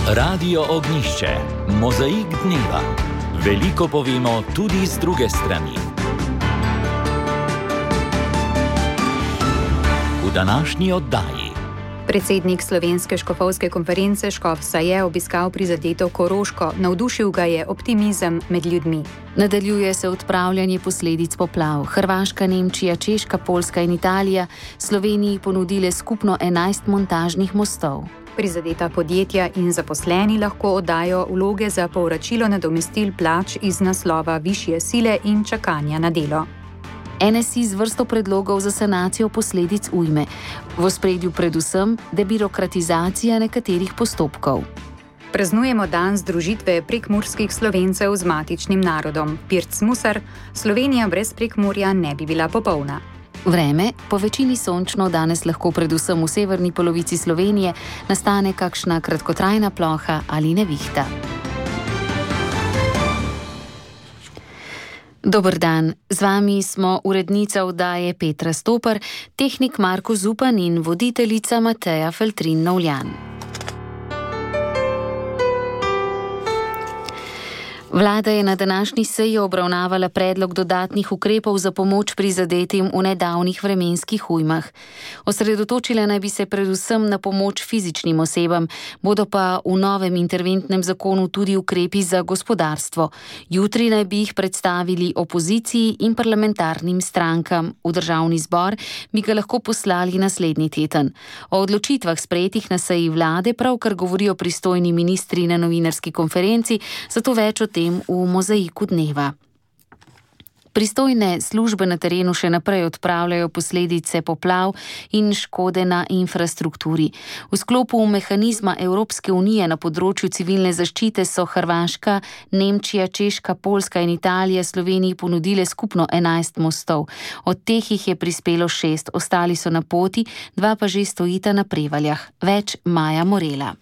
Radio Ognišče, mozaik dneva. Veliko povemo tudi z druge strani. V današnji oddaji. Predsednik Slovenske škofovske konference Škofsa je obiskal prizadeto Koroško, navdušil ga je optimizem med ljudmi. Nadaljuje se odpravljanje posledic poplav. Hrvaška, Nemčija, Češka, Poljska in Italija Sloveniji ponudile skupno 11 montažnih mostov. Prizadeta podjetja in zaposleni lahko oddajo vloge za povračilo nadomestil plač iz naslova višje sile in čakanja na delo. NSI z vrsto predlogov za sanacijo posledic ujme. V ospredju predvsem debirokratizacija nekaterih postopkov. Praznujemo dan združitve prekmurskih Slovencev z matičnim narodom. Pirc Musar, Slovenija brez Prekmurja ne bi bila popolna. Vreme, po večini sončno, danes lahko predvsem v severni polovici Slovenije nastane kakšna kratkotrajna ploha ali nevihta. Dober dan, z vami smo urednica oddaje Petra Stopar, tehnik Marko Zupan in voditeljica Mateja Feltrin-Novljan. Vlada je na današnji seji obravnavala predlog dodatnih ukrepov za pomoč prizadetim v nedavnih vremenskih ujmah. Osredotočila naj bi se predvsem na pomoč fizičnim osebam, bodo pa v novem interventnem zakonu tudi ukrepi za gospodarstvo. Jutri naj bi jih predstavili opoziciji in parlamentarnim strankam. V državni zbor bi ga lahko poslali naslednji teden. O odločitvah sprejetih na seji vlade pravkar govorijo pristojni ministri na novinarski konferenci, zato več o tem v mozaiku dneva. Pristojne službe na terenu še naprej odpravljajo posledice poplav in škode na infrastrukturi. V sklopu mehanizma Evropske unije na področju civilne zaščite so Hrvaška, Nemčija, Češka, Poljska in Italija Sloveniji ponudile skupno 11 mostov. Od teh jih je prispelo 6, ostali so na poti, 2 pa že stojita na Prevaljah. Več Maja Morela.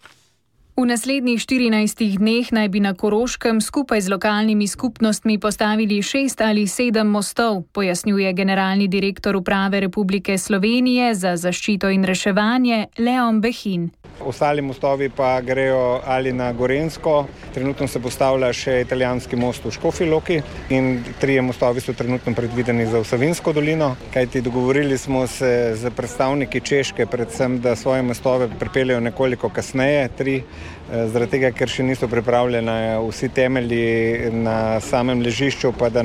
V naslednjih 14 dneh naj bi na Koroškem skupaj z lokalnimi skupnostmi postavili 6 ali 7 mostov, pojasnjuje generalni direktor Uprave Republike Slovenije za zaščito in reševanje Leon Behin. Ostali mostovi pa grejo ali na Gorenjsko, trenutno se postavlja še italijanski most v Škofji Loki in 3 mostovi so trenutno predvideni za Savinjsko dolino, kajti dogovorili smo se z predstavniki Češke, predvsem, da svoje mostove pripeljejo nekoliko kasneje, 3, zaradi tega, ker še niso pripravljeni vsi temelji na samem ležišču, pa da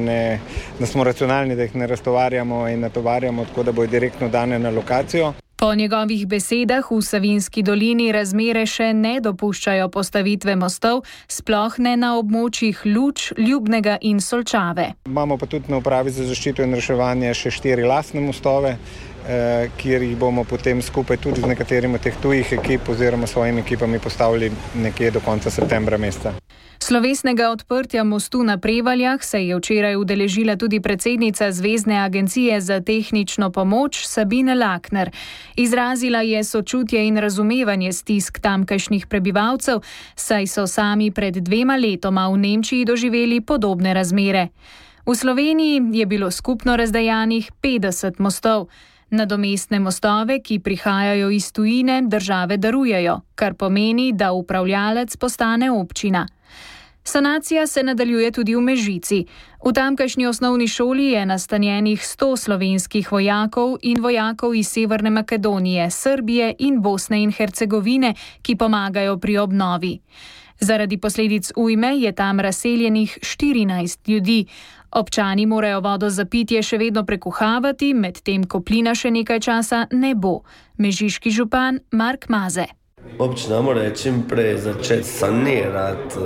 smo racionalni, da jih ne raztovarjamo in natovarjamo, tako da bojo direktno dane na lokacijo. Po njegovih besedah v Savinjski dolini razmere še ne dopuščajo postavitve mostov, sploh ne na območjih Luč, Ljubnega in Solčave. Imamo pa tudi na Upravi za zaščito in reševanje še 4 lastne mostove, kjer jih bomo potem skupaj tudi z nekaterimi teh tujih ekip oziroma svojimi ekipami postavili nekje do konca septembra meseca. Slovesnega odprtja mostu na Prevaljah se je včeraj udeležila tudi predsednica Zvezne agencije za tehnično pomoč Sabine Lakner. Izrazila je sočutje in razumevanje stisk tamkajšnjih prebivalcev, saj so sami pred 2 letoma v Nemčiji doživeli podobne razmere. V Sloveniji je bilo skupno razdajanih 50 mostov. Nadomestne mostove, ki prihajajo iz tujine, države darujejo, kar pomeni, da upravljalec postane občina. Sanacija se nadaljuje tudi v Mežici. V tamkajšnji osnovni šoli je nastanjenih 100 slovenskih vojakov in vojakov iz Severne Makedonije, Srbije in Bosne in Hercegovine, ki pomagajo pri obnovi. Zaradi posledic ujme je tam razseljenih 14 ljudi. Občani morajo vodo za pitje še vedno prekuhavati, medtem ko plina še nekaj časa ne bo. Mežiški župan Mark Maze. Občina mora čim prej začeti sanirati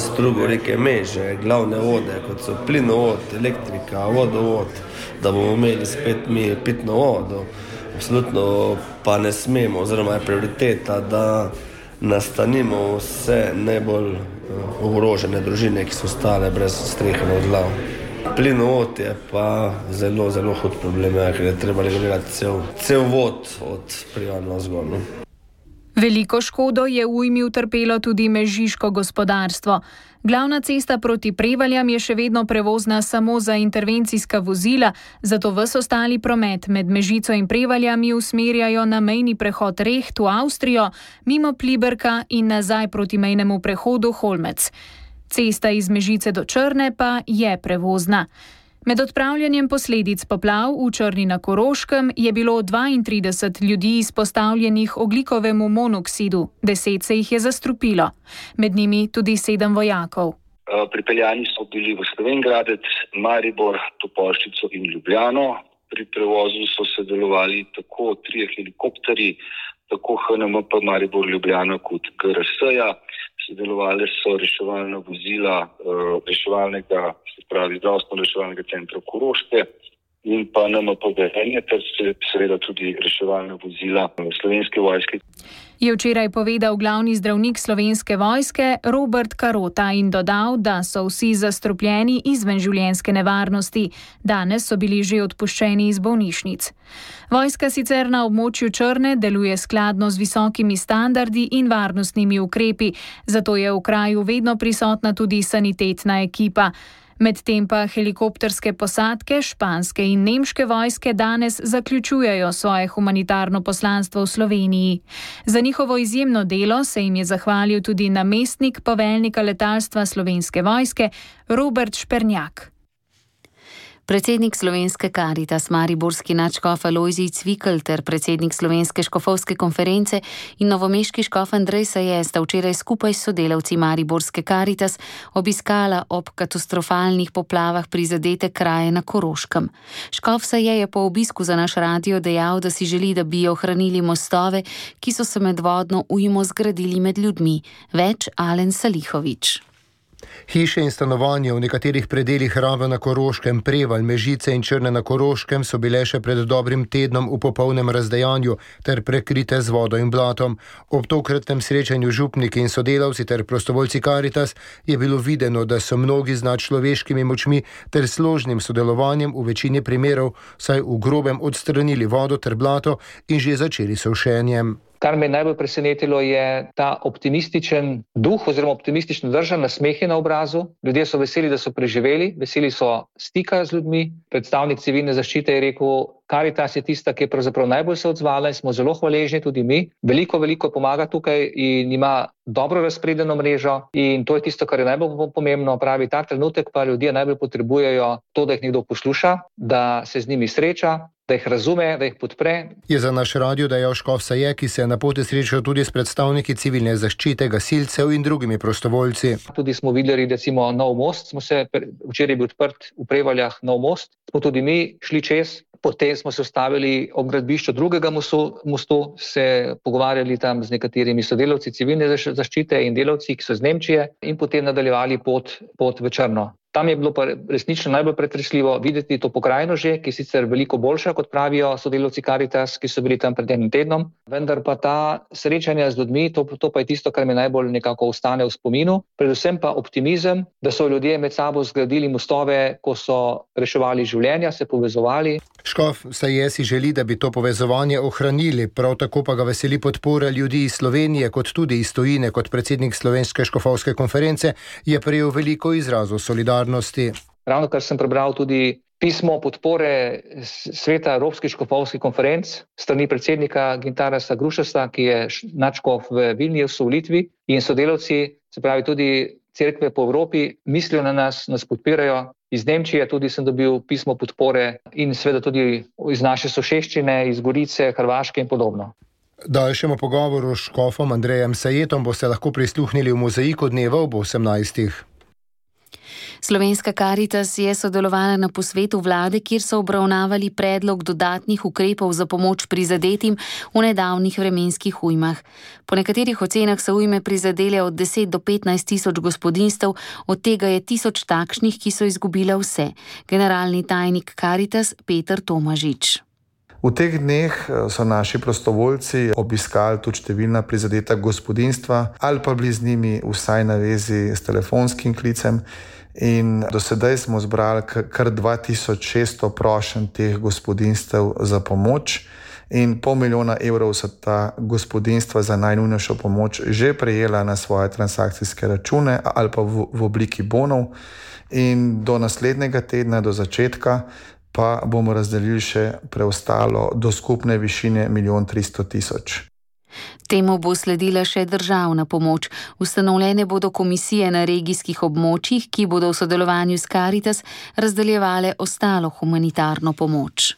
strugo reke Meže, glavne vode, kot so plinovod, elektrika, vodovod, da bomo imeli spet mi pitno vodo. Absolutno pa ne smemo, oziroma je prioriteta, da nastanimo vse najbolj ogrožene družine, ki so ostale brez strehe nad glavo. Plinovod je pa zelo, zelo hud problem, ker je treba regulirati cel vod od Privana zgor. Veliko škodo je v ujmi utrpelo tudi mežiško gospodarstvo. Glavna cesta proti Prevaljam je še vedno prevozna samo za intervencijska vozila, zato ves ostali promet med Mežico in Prevaljami usmerjajo na mejni prehod Reht v Avstrijo, mimo Pliberka in nazaj proti mejnemu prehodu Holmec. Cesta iz Mežice do Črne pa je prevozna. Med odpravljanjem posledic poplav v Črni na Koroškem je bilo 32 ljudi izpostavljenih ogljikovemu monoksidu, 10 se jih je zastrupilo, med njimi tudi 7 vojakov. Pripeljani so bili v Slovenj Gradec, Maribor, Topolšico in Ljubljano. Pri prevozu so sodelovali tako 3 helikopterji, tako HNMP Maribor Ljubljana kot GRS-ja. Sodelovali so reševalna vozila reševalnega, se pravi zdravstveno-reševalnega centra Koroške in pa NMP Velenje, ter seveda tudi reševalna vozila Slovenske vojske. Je včeraj povedal glavni zdravnik Slovenske vojske Robert Karota in dodal, da so vsi zastrupljeni izven življenjske nevarnosti. Danes so bili že odpuščeni iz bolnišnic. Vojska sicer na območju Črne deluje skladno z visokimi standardi in varnostnimi ukrepi, zato je v kraju vedno prisotna tudi sanitetna ekipa. Medtem pa helikopterske posadke španske in nemške vojske danes zaključujejo svoje humanitarno poslanstvo v Sloveniji. Za njihovo izjemno delo se jim je zahvalil tudi namestnik poveljnika letalstva Slovenske vojske Robert Špernjak. Predsednik Slovenske Karitas mariborski nadškof Alojzij Cvikl ter predsednik Slovenske škofovske konference in novomeški škof Andrej Saje sta včeraj skupaj s sodelavci mariborske Karitas obiskala ob katastrofalnih poplavah prizadete kraje na Koroškem. Škof Saje je po obisku za naš radio dejal, da si želi, da bi ohranili mostove, ki so se med vodno ujmo zgradili med ljudmi. Več Alen Salihovič. Hiše in stanovanja v nekaterih predelih Rave na Koroškem, Prevalj, Mežice in Črne na Koroškem so bile še pred dobrim tednom v popolnem razdejanju ter prekrite z vodo in blatom. Ob tokratnem srečanju župniki in sodelavci ter prostovoljci Karitas je bilo videno, da so mnogi z nadčloveškimi močmi ter složnim sodelovanjem v večini primerov saj v grobem odstranili vodo ter blato in že začeli s sušenjem. Kar me najbolj presenetilo je ta optimističen duh oziroma optimistično drža, nasmehe na obrazu. Ljudje so veseli, da so preživeli, veseli so stika z ljudmi. Predstavnik civilne zaščite je rekel, Karitas je tista, ki je pravzaprav najbolj se odzvala in smo zelo hvaležni tudi mi. Veliko pomaga tukaj in ima dobro razpredeno mrežo in to je tisto, kar je najbolj pomembno. Pravi, ta trenutek pa ljudje najbolj potrebujejo to, da jih nekdo posluša, da se z njimi sreča, da jih razume, da jih podpre. Je za naš radio dejal škof Saje, ki se je na poti srečal tudi s predstavniki civilne zaščite, gasilcev in drugimi prostovoljci. Tudi smo videli recimo nov most, včeraj je bil odprt v Prevaljah nov most, smo tudi mi šli čez. Potem smo se ustavili ob gradbišču drugega mostu, se pogovarjali tam z nekaterimi sodelavci civilne zaščite in delavci, ki so iz Nemčije, in potem nadaljevali pot v Črno. Tam je bilo pa resnično najbolj pretresljivo videti to pokrajino že, ki je sicer veliko boljša, kot pravijo sodelavci Karitas, ki so bili tam pred enim tednom, vendar pa ta srečanja z ljudmi, to pa je tisto, kar mi najbolj nekako ostane v spominu, predvsem pa optimizem, da so ljudje med sabo zgradili mostove, ko so reševali življenja, se povezovali. Škof Saje si želi, da bi to povezovanje ohranili, prav tako pa ga veseli podpora ljudi iz Slovenije, kot tudi iz tujine. Kot predsednik Slovenske škofovske konference je prejel veliko izrazov solidarnosti. Ravno kar sem prebral tudi pismo podpore Sveta Evropskih škofovskih konferenc strani predsednika Gintarasa Grušasa, ki je nadškof v Vilniusu v Litvi, in sodelavci, se pravi tudi cerkve po Evropi, mislijo na nas podpirajo. Iz Nemčije tudi sem dobil pismo podpore in seveda tudi iz naše soseščine, iz Gorice, Hrvaške in podobno. Daljšemu pogovoru s škofom Andrejem Sajetom boste lahko prisluhnili v Mozaiku dneva ob 18. Slovenska Karitas je sodelovala na posvetu vlade, kjer so obravnavali predlog dodatnih ukrepov za pomoč prizadetim v nedavnih vremenskih ujmah. Po nekaterih ocenah so ujme prizadele od 10 do 15 tisoč gospodinjstev, od tega je 1000 takšnih, ki so izgubile vse. Generalni tajnik Karitas Peter Tomažič. V teh dneh so naši prostovoljci obiskali tudi številna prizadeta gospodinjstva ali pa bili z njimi vsaj na vezi s telefonskim klicem. In do sedaj smo zbrali kar 2600 prošenj teh gospodinjstev za pomoč in $500 000 so ta gospodinjstva za najnujnejšo pomoč že prejela na svoje transakcijske račune ali pa v obliki bonov. In do naslednjega tedna, do začetka, pa bomo razdelili še preostalo do skupne višine 1 300 000. Temu bo sledila še državna pomoč. Ustanovljene bodo komisije na regijskih območjih, ki bodo v sodelovanju s Caritas razdeljevale ostalo humanitarno pomoč.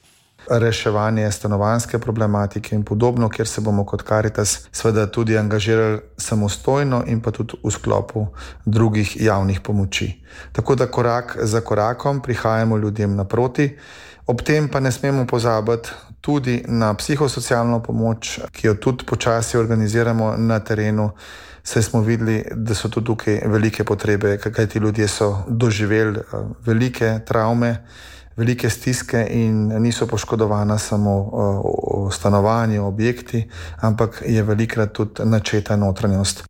Reševanje stanovanjske problematike in podobno, kjer se bomo kot Caritas seveda tudi angažirali samostojno in pa tudi v sklopu drugih javnih pomoči. Tako da korak za korakom prihajamo ljudem naproti. Ob tem pa ne smemo pozabiti tudi na psihosocialno pomoč, ki jo tudi počasi organiziramo na terenu, saj smo videli, da so tudi tukaj velike potrebe, kajti ljudje so doživeli velike travme, velike stiske in niso poškodovana samo stanovanje, objekti, ampak je velikrat tudi načeta notranjost.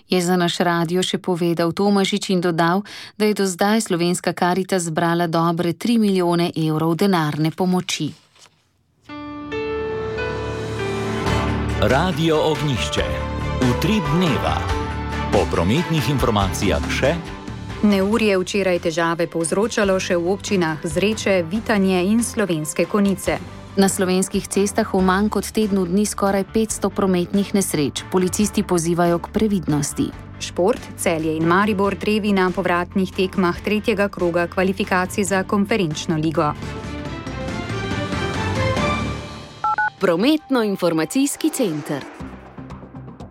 Je za naš radio še povedal Tomažič in dodal, da je do zdaj slovenska Caritas zbrala dobre 3 milijone evrov denarne pomoči. Radio Ognjišče. Utrip dneva. Po prometnih informacijah še. Neurje včeraj težave povzročalo še v občinah Zreče, Vitanje in Slovenske Konjice. Na slovenskih cestah v manj kot tednu dni skoraj 500 prometnih nesreč. Policisti pozivajo k previdnosti. Šport, Celje in Maribor drevi na povratnih tekmah 3. kroga kvalifikacij za konferenčno ligo. Prometno-informacijski center.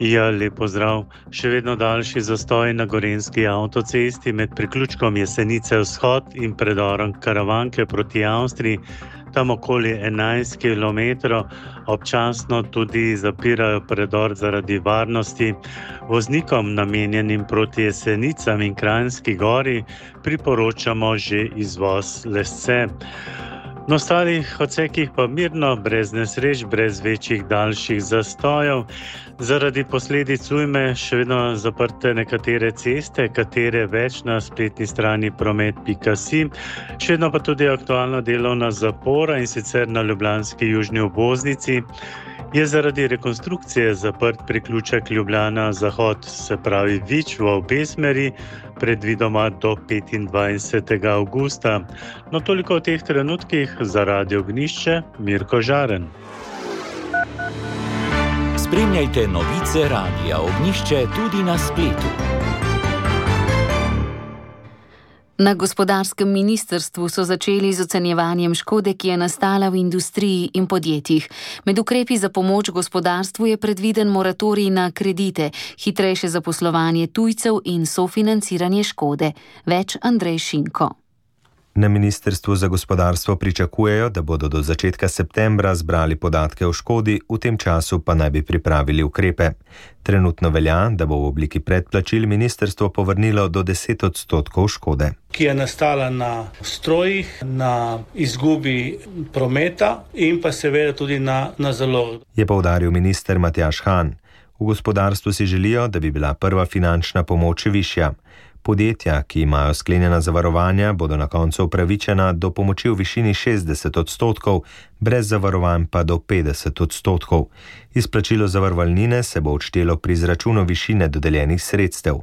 Ja, lep pozdrav. Še vedno daljši zastoj na gorenjski avtocesti med priključkom Jesenice vzhod in predorom Karavanke proti Avstriji. Tam okoli 11 km, občasno tudi zapirajo predor zaradi varnosti. Voznikom namenjenim proti Jesenicam in Kranjski Gori priporočamo že izvoz Lesce. Na ostalih odsekih pa mirno, brez nesreč, brez večjih daljših zastojev. Zaradi posledic ujme še vedno zaprte nekatere ceste, katere več na spletni strani promet.si. Še vedno pa tudi aktualna delovna zapora, in sicer na ljubljanski južni obvoznici. Je zaradi rekonstrukcije zaprt priključek Ljubljana-Zahod, se pravi Vič v obe smeri, predvidoma do 25. avgusta. No, toliko v teh trenutkih. Za Radio Ognjišče, Mirko Žaren. Spremljajte novice Radia Ognjišče tudi na spletu. Na gospodarskem ministrstvu so začeli z ocenjevanjem škode, ki je nastala v industriji in podjetjih. Med ukrepi za pomoč gospodarstvu je predviden moratorij na kredite, hitrejše zaposlovanje tujcev in sofinanciranje škode. Več Andrej Šinko. Na Ministrstvu za gospodarstvo pričakujejo, da bodo do začetka septembra zbrali podatke o škodi, v tem času pa naj bi pripravili ukrepe. Trenutno velja, da bo v obliki predplačil ministrstvo povrnilo do 10% škode, ki je nastala na strojih, na izgubi prometa in pa seveda tudi na zalog. Je poudaril minister Matjaž Han. V gospodarstvu si želijo, da bi bila prva finančna pomoč višja. Podjetja, ki imajo sklenjena zavarovanja, bodo na koncu upravičena do pomoči v višini 60%, brez zavarovanj pa do 50%. Izplačilo zavarovalnine se bo odštelo pri izračunu višine dodeljenih sredstev.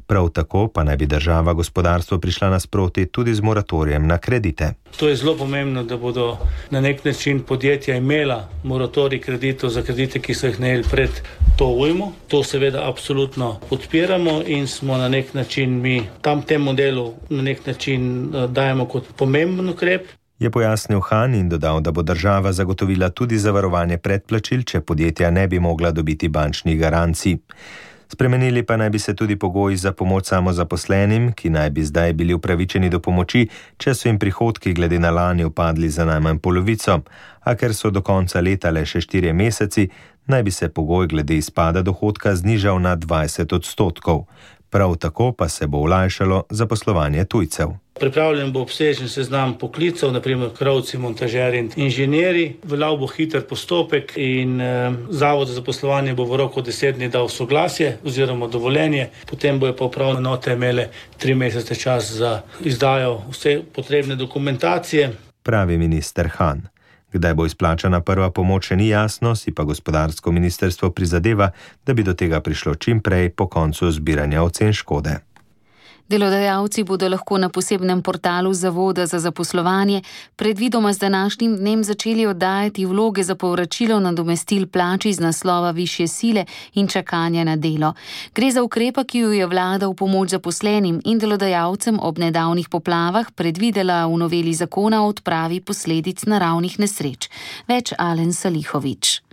Prav tako pa naj bi država gospodarstvo prišla nasproti tudi z moratorijem na kredite. To je zelo pomembno, da bodo na nek način podjetja imela moratorij kreditov za kredite, ki so jih najeli pred to ujmo. To seveda absolutno podpiramo in smo na nek način mi tem modelu na nek način dajemo kot pomemben ukrep. Je pojasnil Han in dodal, da bo država zagotovila tudi zavarovanje predplačil, če podjetja ne bi mogla dobiti bančnih garancij. Spremenili pa naj bi se tudi pogoji za pomoč samozaposlenim, ki naj bi zdaj bili upravičeni do pomoči, če so jim prihodki glede na lani upadli za najmanj polovico, a ker so do konca leta le še 4 meseci, naj bi se pogoj glede izpada dohodka znižal na 20%. Prav tako pa se bo olajšalo zaposlovanje tujcev. Pripravljen bo obsežen seznam poklicev, naprimer krovci, montažeri in inženirji. Veljal bo hiter postopek in Zavod za zaposlovanje bo v roku 10 dni dal soglasje oziroma dovoljenje. Potem bojo pa upravne enote imele 3 mesece čas za izdajo vse potrebne dokumentacije. Pravi minister Han. Kdaj bo izplačana prva pomoč, še ni jasno, si pa gospodarsko ministrstvo prizadeva, da bi do tega prišlo čim prej po koncu zbiranja ocen škode. Delodajalci bodo lahko na posebnem portalu Zavoda za zaposlovanje predvidoma z današnjim dnem začeli oddajati vloge za povračilo nadomestil plač iz naslova višje sile in čakanja na delo. Gre za ukrepa, ki jo je vlada v pomoč zaposlenim in delodajalcem ob nedavnih poplavah predvidela v noveli zakona o odpravi posledic naravnih nesreč. Več Alen Salihovič.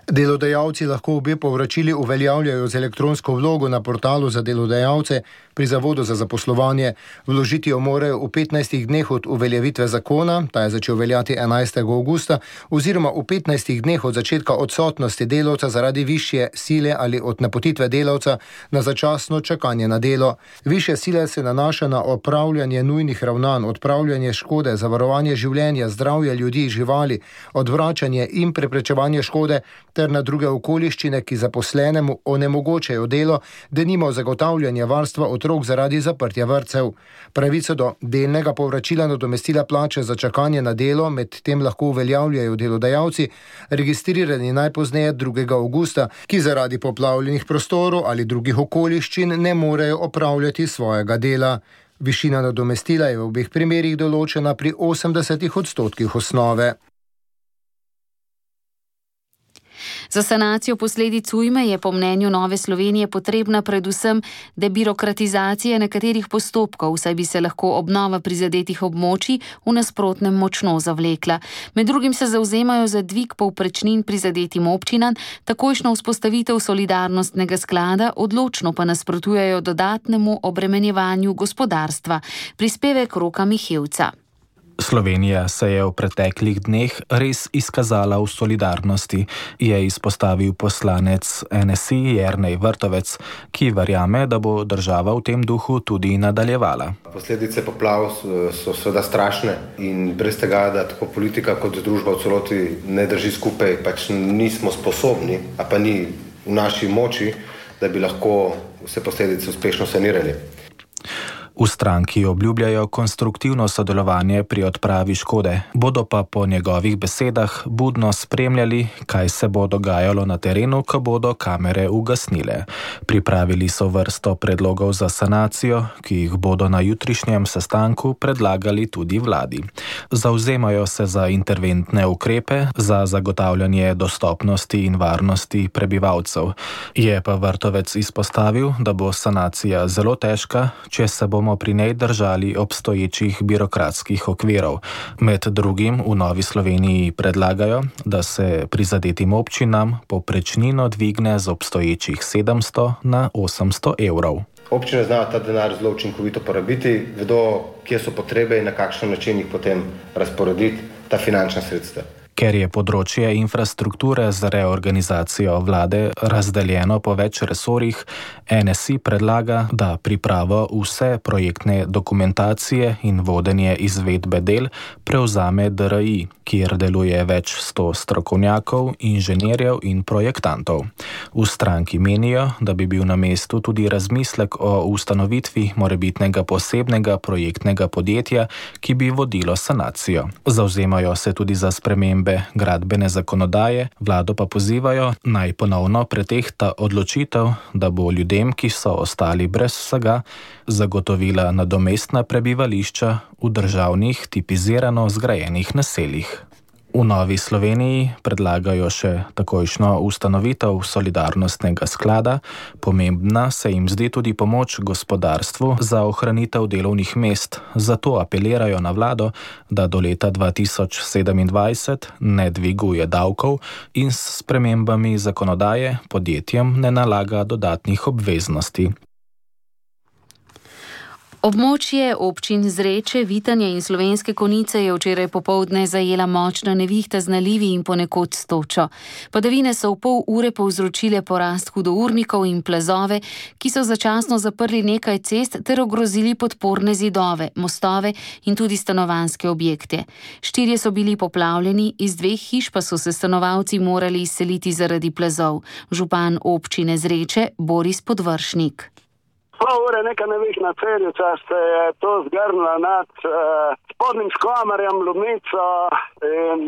Delodajalci lahko obe povračili uveljavljajo z elektronsko vlogo na portalu za delodajalce pri Zavodu za zaposlovanje. Vložiti jo morajo v 15 dneh od uveljavitve zakona, ta je začel veljati 11. augusta, oziroma v 15 dneh od začetka odsotnosti delavca zaradi višje sile ali od napotitve delavca na začasno čakanje na delo. Višje sile se nanaša na opravljanje nujnih ravnanj, odpravljanje škode, zavarovanje življenja, zdravja ljudi, živali, odvračanje in preprečevanje škode ter na druge okoliščine, ki zaposlenemu onemogočajo delo, denimo zagotavljanje varstva otrok zaradi zaprtja vrtcev. Pravico do delnega povračila nadomestila plače za čakanje na delo med tem lahko uveljavljajo delodajalci, registrirani najpozneje 2. augusta, ki zaradi poplavljenih prostorov ali drugih okoliščin ne morejo opravljati svojega dela. Višina nadomestila je v obeh primerih določena pri 80% osnove. Za sanacijo posledic ujme je po mnenju Nove Slovenije potrebna predvsem debirokratizacija nekaterih postopkov, saj bi se lahko obnova prizadetih območij v nasprotnem močno zavlekla. Med drugim se zavzemajo za dvig povprečnin prizadetim občinam, takojšnjo vzpostavitev solidarnostnega sklada, odločno pa nasprotujejo dodatnemu obremenjevanju gospodarstva. Prispevek Roka Mihevca. Slovenija se je v preteklih dneh res izkazala v solidarnosti, je izpostavil poslanec NSI Jernej Vrtovec, ki verjame, da bo država v tem duhu tudi nadaljevala. Posledice poplav so seveda strašne in brez tega, da tako politika kot družba v celoti ne drži skupaj, pač nismo sposobni, a pa ni v naši moči, da bi lahko vse posledice uspešno sanirali. V stranki obljubljajo konstruktivno sodelovanje pri odpravi škode, bodo pa po njegovih besedah budno spremljali, kaj se bo dogajalo na terenu, ko bodo kamere ugasnile. Pripravili so vrsto predlogov za sanacijo, ki jih bodo na jutrišnjem sestanku predlagali tudi vladi. Zavzemajo se za interventne ukrepe, za zagotavljanje dostopnosti in varnosti prebivalcev. Je pa Vrtovec izpostavil, da bo sanacija zelo težka, če se bomo pri njej držali obstoječih birokratskih okvirov. Med drugim v Novi Sloveniji predlagajo, da se prizadetim občinam povprečnino dvigne z obstoječih 700 na 800 evrov. Občine znajo ta denar zelo učinkovito porabiti, vedo, kje so potrebe in na kakšen način jih potem razporediti ta finančna sredstva. Ker je področje infrastrukture z reorganizacijo vlade razdeljeno po več resorjih, NSI predlaga, da pripravo vse projektne dokumentacije in vodenje izvedbe del prevzame DRI, kjer deluje več 100 strokovnjakov, inženirjev in projektantov. V stranki menijo, da bi bil na mestu tudi razmislek o ustanovitvi morebitnega posebnega projektnega podjetja, ki bi vodilo sanacijo. Zavzemajo se tudi za spremembe gradbene zakonodaje, vlado pa pozivajo, naj ponovno pretehta odločitev, da bo ljudem, ki so ostali brez vsega, zagotovila nadomestna prebivališča v državnih tipizirano zgrajenih naseljih. V Novi Sloveniji predlagajo še takojšnjo ustanovitev solidarnostnega sklada. Pomembna se jim zdi tudi pomoč gospodarstvu za ohranitev delovnih mest. Zato apelirajo na vlado, da do leta 2027 ne dviguje davkov in s spremembami zakonodaje podjetjem ne nalaga dodatnih obveznosti. Območje občin Zreče, Vitanje in Slovenske Konjice je včeraj popoldne zajela močna nevihta z nalivi in ponekod s točo. Padavine so v pol ure povzročile porast hudournikov in plazove, ki so začasno zaprli nekaj cest ter ogrozili podporne zidove, mostove in tudi stanovanjske objekte. 4 so bili poplavljeni, iz 2 hiš pa so se stanovalci morali izseliti zaradi plazov. Župan občine Zreče Boris Podvršnik. Pol ure neka nevihna celica se je to zgrnila nad spodnjim Škomarjem, Lubnico in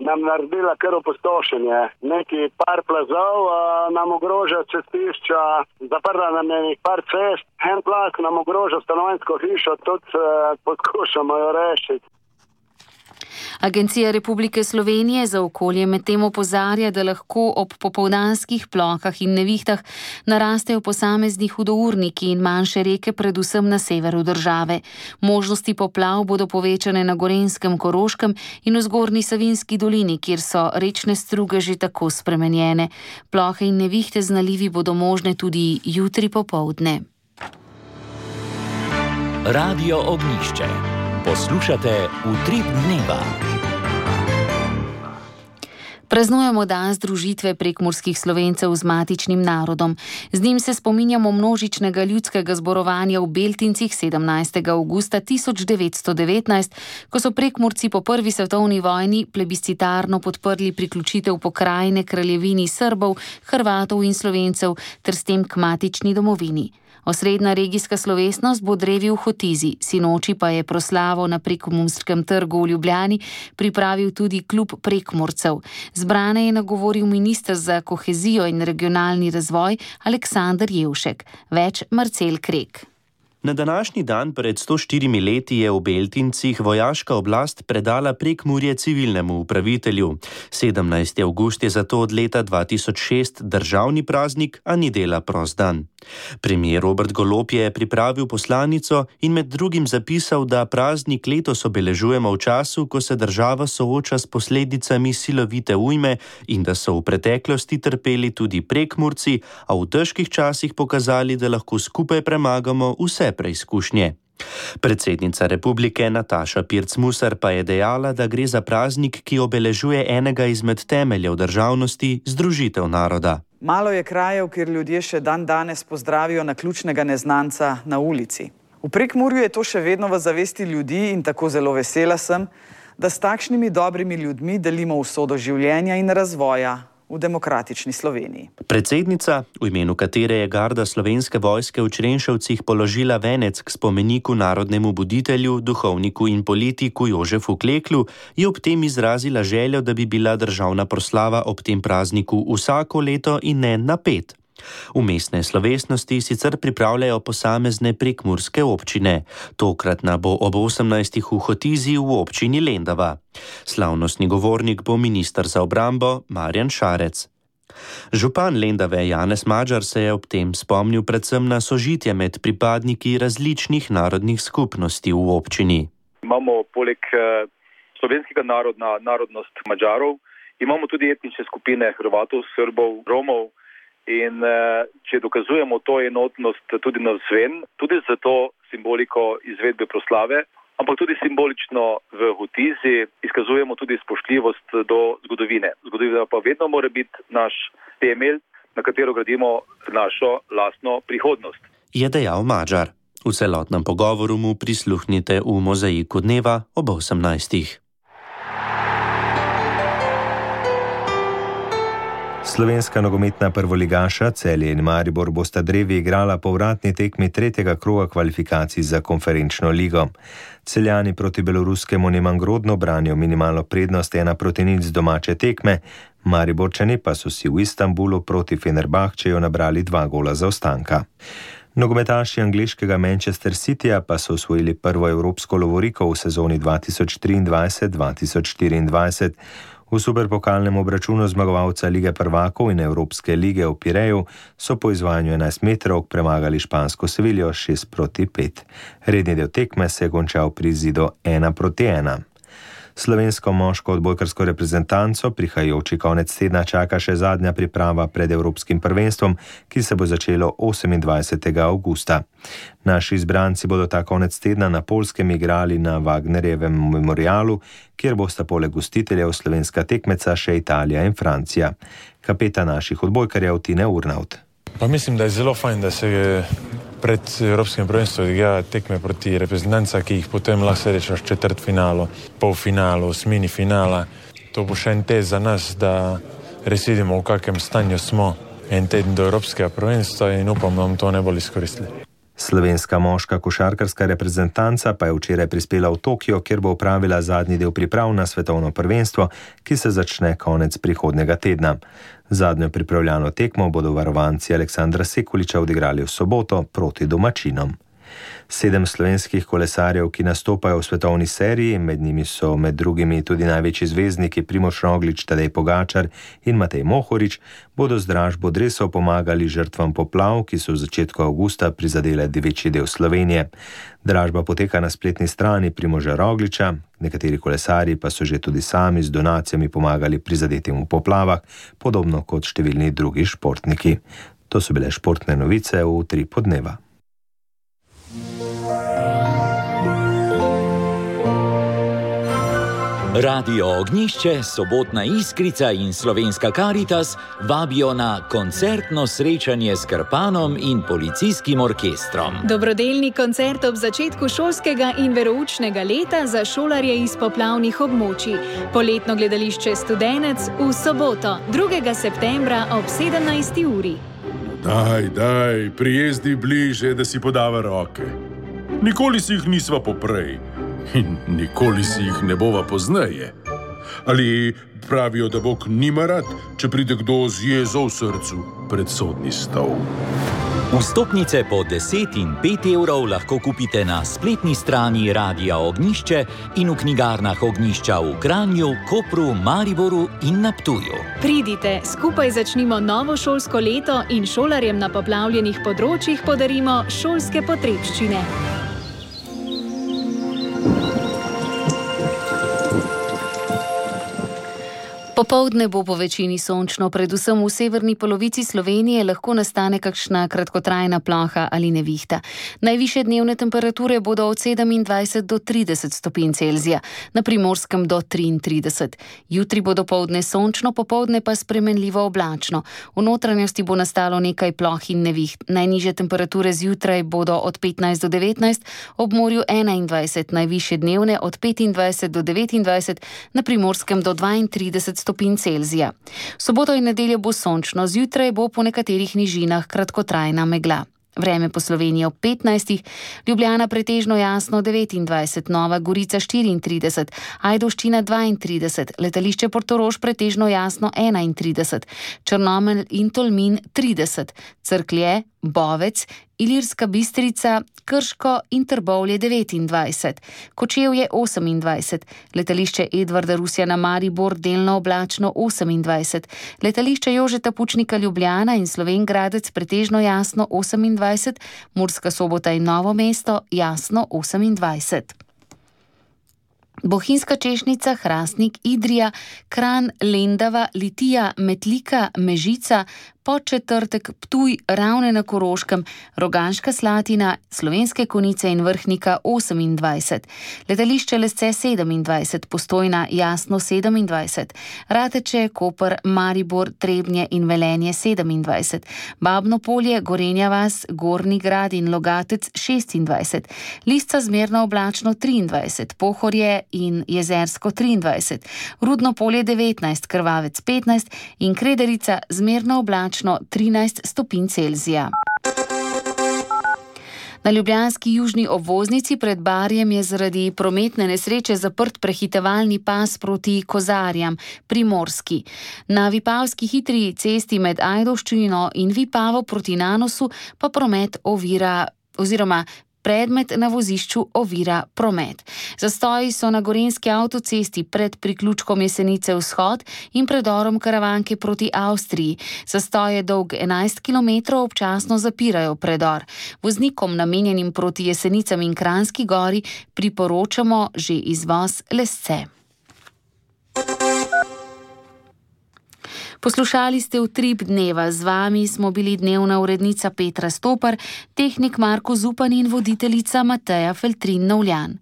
nam naredila kar opustošenje. Neki par plazov nam ogroža cestišča, zaprla nam je par cest, en plaz nam ogroža stanovanjsko hišo, tudi poskušamo jo rešiti. Agencija Republike Slovenije za okolje medtem opozarja, da lahko ob popoldanskih plohah in nevihtah narastejo posamezni hudourniki in manjše reke, predvsem na severu države. Možnosti poplav bodo povečane na Gorenjskem, Koroškem in v Zgornji Savinjski dolini, kjer so rečne struge že tako spremenjene. Plohe in nevihte z nalivi bodo možne tudi jutri popoldne. Radio Ognjišče. Poslušate Utrip dneva. Praznujemo dan združitve prekmurskih Slovencev z matičnim narodom. Z njim se spominjamo množičnega ljudskega zborovanja v Beltincih 17. avgusta 1919, ko so Prekmurci po prvi svetovni vojni plebiscitarno podprli priključitev pokrajine kraljevini Srbov, Hrvatov in Slovencev ter s tem k matični domovini. Osrednja regijska slovesnost bo drevi v Hotizi, sinoči pa je proslavo na Prekmurskem trgu v Ljubljani pripravil tudi klub Prekmurcev. Zbrane je nagovoril minister za kohezijo in regionalni razvoj Aleksander Jevšek. Več Marcel Krek. Na današnji dan pred 104 leti je v Beltincih vojaška oblast predala Prekmurje civilnemu upravitelju. 17. avgust je zato od leta 2006 državni praznik, a ni dela prost dan. Premier Robert Golob je pripravil poslanico in med drugim zapisal, da praznik letos obeležujemo v času, ko se država sooča s posledicami silovite ujme in da so v preteklosti trpeli tudi Prekmurci, a v težkih časih pokazali, da lahko skupaj premagamo vse preizkušnje. Predsednica republike Nataša Pirc-Musar pa je dejala, da gre za praznik, ki obeležuje enega izmed temeljev državnosti, združitev naroda. Malo je krajev, kjer ljudje še dan danes pozdravijo naključnega neznanca na ulici. V Prekmurju je to še vedno v zavesti ljudi in tako zelo vesela sem, da s takšnimi dobrimi ljudmi delimo usodo življenja in razvoja v demokratični Sloveniji. Predsednica, v imenu katere je garda Slovenske vojske v Črenšovcih položila venec k spomeniku narodnemu buditelju, duhovniku in politiku Jožefu Kleklu, je ob tem izrazila željo, da bi bila državna proslava ob tem prazniku vsako leto in ne na 5. Vmesne slovesnosti sicer pripravljajo posamezne prekmurske občine. Tokratna bo ob 18. v Hotizi v občini Lendava. Slavnostni govornik bo minister za obrambo Marjan Šarec. Župan Lendave Janez Madžar se je ob tem spomnil predvsem na sožitje med pripadniki različnih narodnih skupnosti v občini. Imamo poleg slovenskega narodnost Mađarov, imamo tudi etnične skupine Hrvatov, Srbov, Romov. In če dokazujemo to enotnost tudi navzven, tudi za to simboliko izvedbe proslave, ampak tudi simbolično v Hotizi izkazujemo tudi spoštljivost do zgodovine. Zgodovina pa vedno mora biti naš temelj, na katero gradimo našo lastno prihodnost. Je dejal Madžar. V celotnem pogovoru mu prisluhnite v Mozaiku dneva ob 18. Slovenska nogometna prvoligaša Celje in Maribor bosta drevi igrala povratni tekmi 3. kroga kvalifikacij za konferenčno ligo. Celjani proti beloruskemu Nemangrodno branijo minimalno prednost 1-0 domače tekme, Mariborčani pa so si v Istanbulu proti Fenerbahčeju nabrali 2 gola zaostanka. Nogometaši angleškega Manchester Cityja pa so osvojili prvo evropsko lovoriko v sezoni 2023-2024. V superpokalnem obračunu zmagovalca Lige prvakov in Evropske lige v Pireju so po izvajanju 11 metrov premagali špansko Seviljo 6-5. Redni del tekme se je končal pri izidu 1-1. Slovensko moško odbojkarsko reprezentanco prihajajoči konec tedna čaka še zadnja priprava pred Evropskim prvenstvom, ki se bo začelo 28. avgusta. Naši izbranci bodo ta konec tedna na Poljskem igrali na Wagnerjevem memorialu, kjer bosta poleg gostiteljev slovenska tekmeca še Italija in Francija. Kapetan naših odbojkarjev Tine Urnaut. Pa mislim, da je zelo fajn, da se pred Evropskim prvenstvom igra tekme proti reprezentanca, ki jih potem lahko srečaš v četrtfinalu, polfinalu, osmini finala. To bo še en test za nas, da res vidimo, v kakem stanju smo en teden do Evropskega prvenstva in upam, da bomo to najbolj izkoristili. Slovenska moška košarkarska reprezentanca pa je včeraj prispela v Tokio, kjer bo opravila zadnji del priprav na svetovno prvenstvo, ki se začne konec prihodnjega tedna. Zadnjo pripravljalno tekmo bodo varovanci Aleksandra Sekuliča odigrali v soboto proti domačinom. 7 slovenskih kolesarjev, ki nastopajo v svetovni seriji, med njimi so med drugimi tudi največji zvezdniki Primož Roglič, Tadej Pogačar in Matej Mohorič, bodo z dražbo dresov pomagali žrtvam poplav, ki so v začetku avgusta prizadele večji del Slovenije. Dražba poteka na spletni strani Primoža Rogliča, nekateri kolesarji pa so že tudi sami z donacijami pomagali prizadetim v poplavah, podobno kot številni drugi športniki. To so bile športne novice v 3 podneva. Radio Ognjišče, Sobotna Iskrica in Slovenska Karitas vabijo na koncertno srečanje s Krpanom in policijskim orkestrom. Dobrodelni koncert ob začetku šolskega in veroučnega leta za šolarje iz poplavnih območij. Poletno gledališče Studenec v soboto, 2. septembra ob 17. uri. Daj, prijezdi bliže, da si podava roke. Nikoli si jih nisva poprej. In nikoli si jih ne bova pozneje. Ali pravijo, da Bog nima rad, če pride kdo z jezo v srcu pred sodni stol. Vstopnice po 10 in 5 evrov lahko kupite na spletni strani Radia Ognjišče in v knjigarnah Ognjišča v Kranju, Kopru, Mariboru in na Ptuju. Pridite, skupaj začnimo novo šolsko leto in šolarjem na poplavljenih področjih podarimo šolske potrebščine. Popoldne bo po večini sončno, predvsem v severni polovici Slovenije lahko nastane kakšna kratkotrajna ploha ali nevihta. Najvišje dnevne temperature bodo od 27 do 30 stopinj Celzija, na Primorskem do 33. Jutri bo dopoldne sončno, popoldne pa spremenljivo oblačno. V notranjosti bo nastalo nekaj ploh in neviht. Najnižje temperature zjutraj bodo od 15 do 19, ob morju 21, najvišje dnevne od 25 do 29, na Primorskem do 32 stopinj Celzija. Soboto in nedeljo bo sončno, zjutraj bo po nekaterih nižinah kratkotrajna megla. Vreme po Sloveniji ob 15, Ljubljana pretežno jasno 29, Nova Gorica 34, Ajdovščina 32, letališče Portorož pretežno jasno 31, Črnomelj in Tolmin 30, Cerklje, Bovec, Ilirska Bistrica, Krško in Trbovlje 29, Kočevje 28, letališče Edvarda Rusjana Maribor delno oblačno 28, letališče Jožeta Pučnika Ljubljana in Slovenj Gradec pretežno jasno 28, Murska Sobota in Novo mesto jasno 28. Bohinjska Češnica, Hrastnik, Idrija, Kranj, Lendava, Litija, Metlika, Mežica, Podčetrtek, Ptuj, Ravne na Koroškem, Rogaška Slatina, Slovenske Konjice in Vrhnika 28, letališče Lesce 27, Postojna jasno 27, Rateče, Koper, Maribor, Trebnje in Velenje 27, Babno Polje, Gorenja vas, Gornji Grad in Logatec 26, Lisca zmerno oblačno 23, Pohorje in Jezersko 23, Rudno Polje 19, Krvavec 15 in Krederica zmerno oblačno 13 stopinj Celzija. Na ljubljanski južni obvoznici pred Barjem je zaradi prometne nesreče zaprt prehitevalni pas proti Kozarjam, Primorski. Na Vipavski hitri cesti med Ajdovščino in Vipavo proti Nanosu pa promet ovira oziroma predmet na vozišču ovira promet. Zastoji so na gorenjski avtocesti pred priključkom Jesenice vzhod in predorom Karavanke proti Avstriji. Zastoj je dolg 11 km, občasno zapirajo predor. Voznikom namenjenim proti Jesenicam in Kranjski gori priporočamo že izvoz Lesce. Poslušali ste Utrip dneva, z vami smo bili dnevna urednica Petra Stopar, tehnik Marko Zupan in voditeljica Mateja Feltrin Novljan.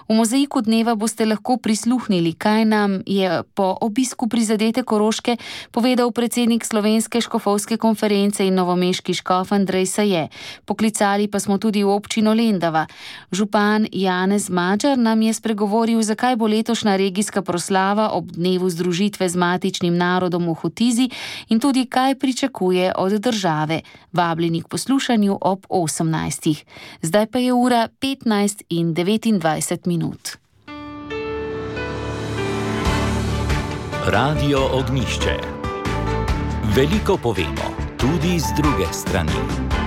V mozaiku dneva boste lahko prisluhnili, kaj nam je po obisku prizadete Koroške povedal predsednik Slovenske škofovske konference in novomeški škof Andrej Saje. Poklicali pa smo tudi v občino Lendava. Župan Janez Madžar nam je spregovoril, zakaj bo letošnja regijska proslava ob dnevu združitve z matičnim narodom v Hotizi in tudi kaj pričakuje od države. Vabljeni k poslušanju ob 18. Zdaj pa je ura 15:29 minut. Radio Ognišče. Veliko povemo, tudi z druge strani.